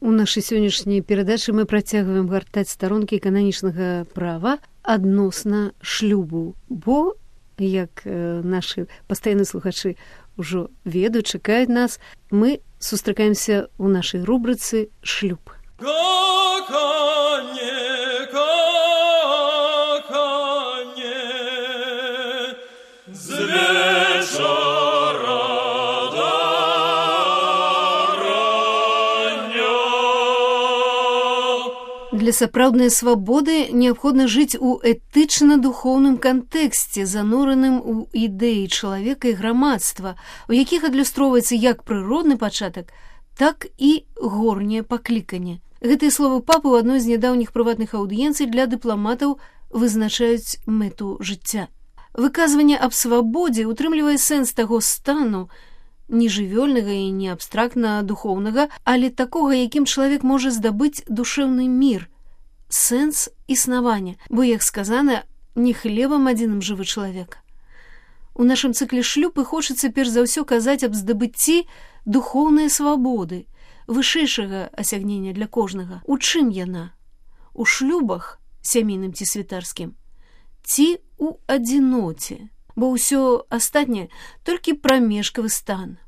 У нашай сённяшняй перадачы мы працягваем гартаць старонкі кананічнага права адносна шлюбу, бо, як нашы пастаянныя слухачы ўжо ведаюць, чакаюць нас, мы сустракаемся ў нашай рубрыцы «Шлюб». Для сапраўднай свабоды неабходна жыць у этычна-духоўным кантэксце, занураным у ідэі чалавека і грамадства, у якіх адлюстроўваецца як прыродны пачатак, так і горняе пакліканне. Гэтыя словы папы ў адной з нядаўніх прыватных аўдыенцый для дыпламатаў вызначаюць мэту жыцця. Выказванне аб свабодзе утрымлівае сэнс таго стану, не жывёльнага і не абстрактна-духоўнага, але такога, якім чалавек можа здабыць душэўны мір, сэнс існавання, бо, як сказана, не хлебам адзіным жывы чалавек. У нашым цыкле «Шлюб» і хочацца перш за ўсё казаць аб здабыцці духоўнай свабоды, вышэйшага асягнення для кожнага. У чым яна? У шлюбах, сямейным ці святарскім, ці у адзіноце, бо ўсё астатняе толькі прамежкавы стан.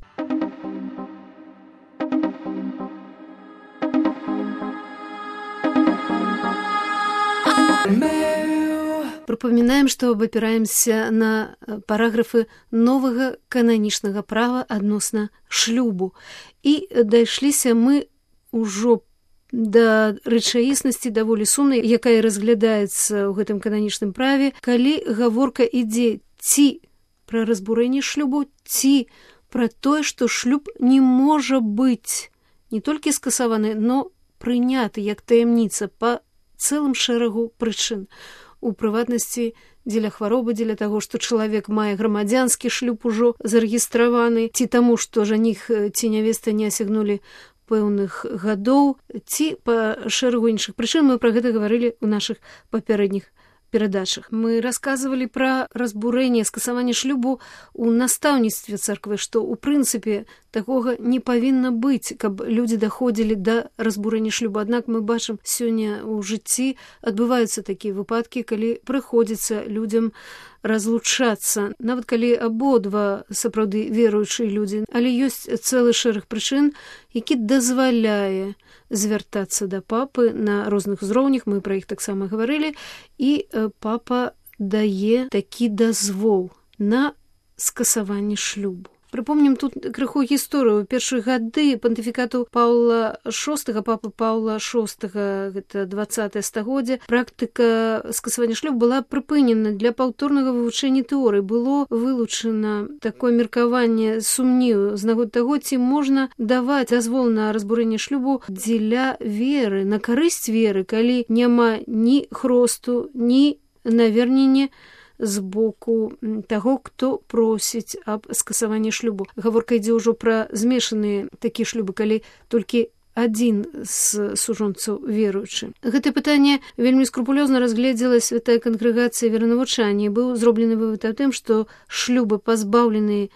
Прыпамінаем, што абапіраемся на параграфы новага кананічнага права адносна шлюбу. І дайшліся мы ўжо да рэчаіснасці даволі сумнай, якая разглядаецца ў гэтым кананічным праве, калі гаворка ідзе ці пра разбурэнне шлюбу, ці пра тое, што шлюб не можа быць не толькі скасаваны, но прыняты як таямніца па цэлым шэрагу прычын. У прыватнасці, дзеля хваробы, дзеля таго, што чалавек мае грамадзянскі шлюб ужо зарэгістраваны, ці таму, што жаніх ці нявеста не асягнулі пэўных гадоў, ці па шэрагу іншых прычын. Мы пра гэта гаварылі ў нашых папярэдніх перадачах. Мы расказвалі пра разбурэнне, скасаванне шлюбу ў настаўніцтве царквы, што ў прынцыпе такога не павінна быць, каб людзі даходзілі да разбурэння шлюбу. Аднак мы бачым, сёння ў жыцці адбываюцца такія выпадкі, калі прыходзіцца людзям разлучацца, нават калі абодва сапраўды веруючыя людзі, але ёсць цэлы шэраг прычын, які дазваляе звяртацца да папы на розных узроўнях, мы пра іх таксама гаварылі, і папа дае такі дазвол на скасаванне шлюбу. Прыпомнім тут крыху гісторыю. У першыя гады пантыфікату Паўла VI, папы Паўла VI, гэта 20-е стагоддзе, практыка скасавання шлюбу была прыпынена для паўторнага вывучэння тэорыі. Было вылучана такое меркаванне сумневу з нагоды таго, ці можна даваць дазвол на разбурэнне шлюбу дзеля веры, на карысць веры, калі няма ні хросту, ні навернення з боку таго, хто просіць аб скасаванні шлюбу. Гаворка ідзе ўжо пра змешаныя такія шлюбы, калі толькі адзін з сужонцаў веруючы. Гэтае пытанне вельмі скрупулёзна разгледзела святая кангрэгацыя веранавучання. Быў зроблены вывад аб тым, што шлюбы пазбаўленыя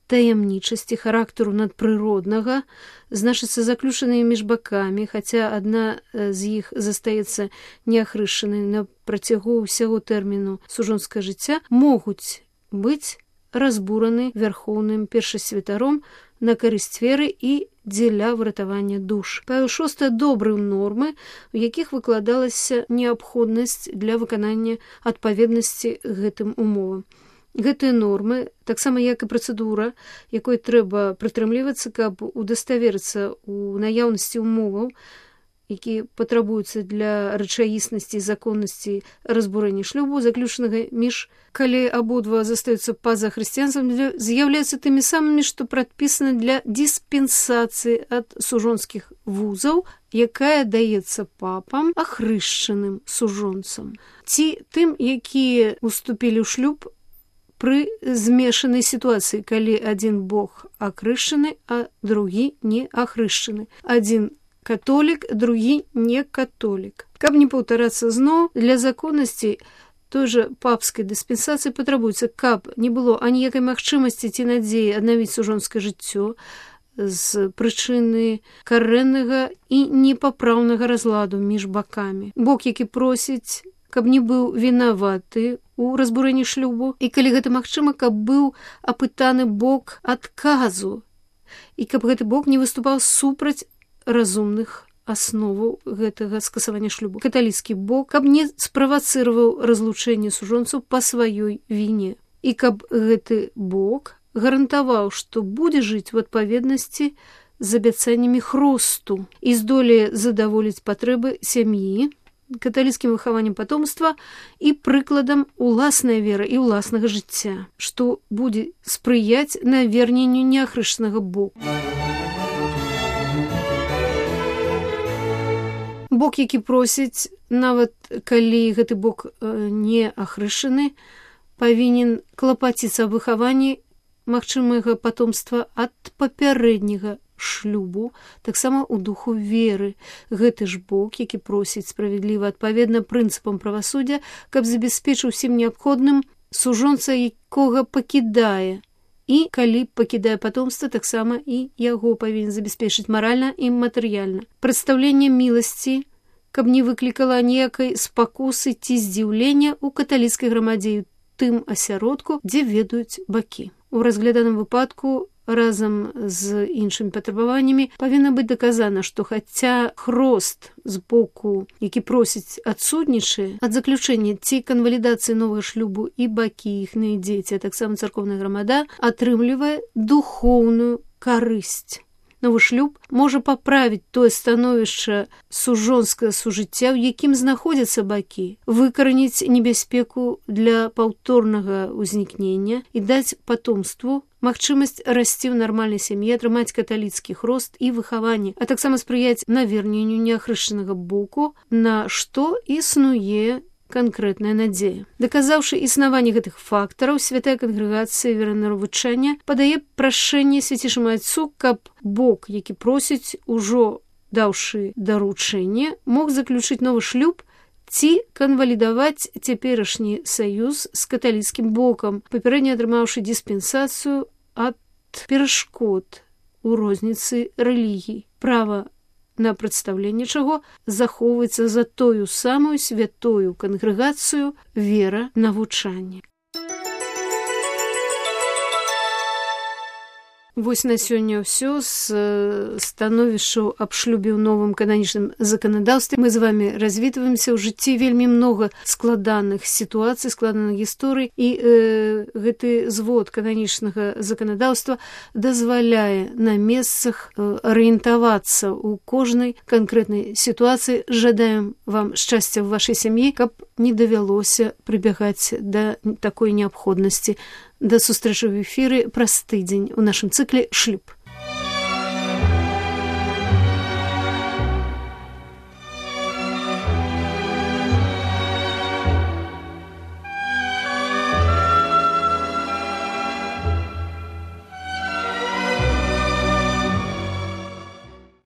таямнічасці, характару надпрыроднага, значыцца заключаныя між бакамі, хаця адна з іх застаецца неахрышчанай на працягу ўсяго тэрміну сужонскага жыцця, могуць быць разбураны вярхоўным першасвятаром на карысць веры і дзеля выратавання душ. Павел VI адобрыў нормы, у якіх выкладалася неабходнасць для выканання адпаведнасці гэтым умовам. Гэтыя нормы, таксама як і працэдура, якой трэба прытрымлівацца, каб удаставерыцца ў наяўнасці умоваў, які патрабуюцца для рэчаіснасці і законнасці разбурэння шлюбу, заключанага між, калі абодва застаюцца па-за хрысціянствам, з'яўляюцца тымі самымі, што прадпісаны для дыспенсацыі ад сужонскіх вузаў, якая даецца папам ахрышчаным сужонцам, ці тым, якія уступілі ў шлюб пры змешанай сітуацыі, калі адзін бог акрышчаны, а другі не ахрышчаны. Адзін католік, другі не католік. Каб не паўтарацца зноў, для законнасці той жа папскай дыспенсацыі патрабуецца, каб не было аніякай магчымасці ці надзеі аднавіць сужонскае жыццё, з прычыны карэннага і непапраўнага разладу між бакамі. Бок, які просіць, каб не быў вінаваты у разбурэнні шлюбу, і калі гэта магчыма, каб быў апытаны бок адказу, і каб гэты бок не выступаў супраць разумных асноваў гэтага скасавання шлюбу. Каталіцкі бок, каб не справацыраваў разлучэнне сужонцаў па сваёй віне. І каб гэты бок гарантаваў, што будзе жыць у адпаведнасці з абяцаннямі хросту і здолее задаволіць патрэбы сям'і, каталіцкім выхаваннем патомства і прыкладам уласнай веры і ўласнага жыцця, што будзе спрыяць наверненню неахрышчанага боку. Бок, які просіць, нават калі гэты бок не ахрышчаны, павінен клапаціцца аб выхаванні магчымага патомства ад папярэдняга шлюбу, таксама ў духу веры. Гэты ж бок, які просіць справядліва адпаведна прынцыпам правасуддзя, каб забяспечыў усім неабходным сужонца, якога пакідае, і калі пакідае патомства, таксама і яго павінен забяспечыць маральна і матэрыяльна. Прадстаўленне міласці, каб не выклікала ніякай спакусы ці здзіўлення ў каталіцкай грамадзе, тым асяродку, дзе ведаюць бакі. У разгляданым выпадку разам з іншымі патрабаваннямі павінна быць даказана, што хаця хрост з боку, які просіць, адсутнічае ад заключэння ці канвалідацыі новага шлюбу, і бакі, іхныя дзеці, а таксама царкоўная грамада атрымлівае духоўную карысць. Новы шлюб можа паправіць тое становішча сужонскага сужыцця, у якім знаходзяцца бакі, выкараніць небяспеку для паўторнага ўзнікнення і даць патомству магчымасць расці ў нармальнай сям'і, атрымаць каталіцкі хрост і выхаванне, а таксама спрыяць наверненню неахрышчанага боку, на што існуе канкрэтная надзея. Даказаўшы існаванне гэтых фактараў, святая кангрэгацыя веранавучання падае прашэнне свяцейшаму Отцу, каб бок, які просіць, ужо даўшы даручэнне, мог заключыць новы шлюб ці канвалідаваць цяперашні саюз з каталіцкім бокам, папярэдне атрымаўшы дыспенсацыю ад перашкод у розніцы рэлігій. Права на прадстаўленне чаго захоўваецца за тою самую святою кангрэгацыю вера навучання. Вось на сёння ўсё з становішчаў аб шлюбе ў новым кананічным заканадаўстве. Мы з вами развітваемся ў жыцці, вельмі многа складаных сітуацый, складаных гісторый, і гэты звод кананічнага заканадаўства дазваляе на месцах арыентавацца ў кожнай канкрэтнай сітуацыі. Жадаем вам шчасця ў вашай сям'і, каб не давялося прыбягаць да такой неабходнасці. Да сустрэчы ў эфіры праз тыдзень у нашым цыкле «Шлюб».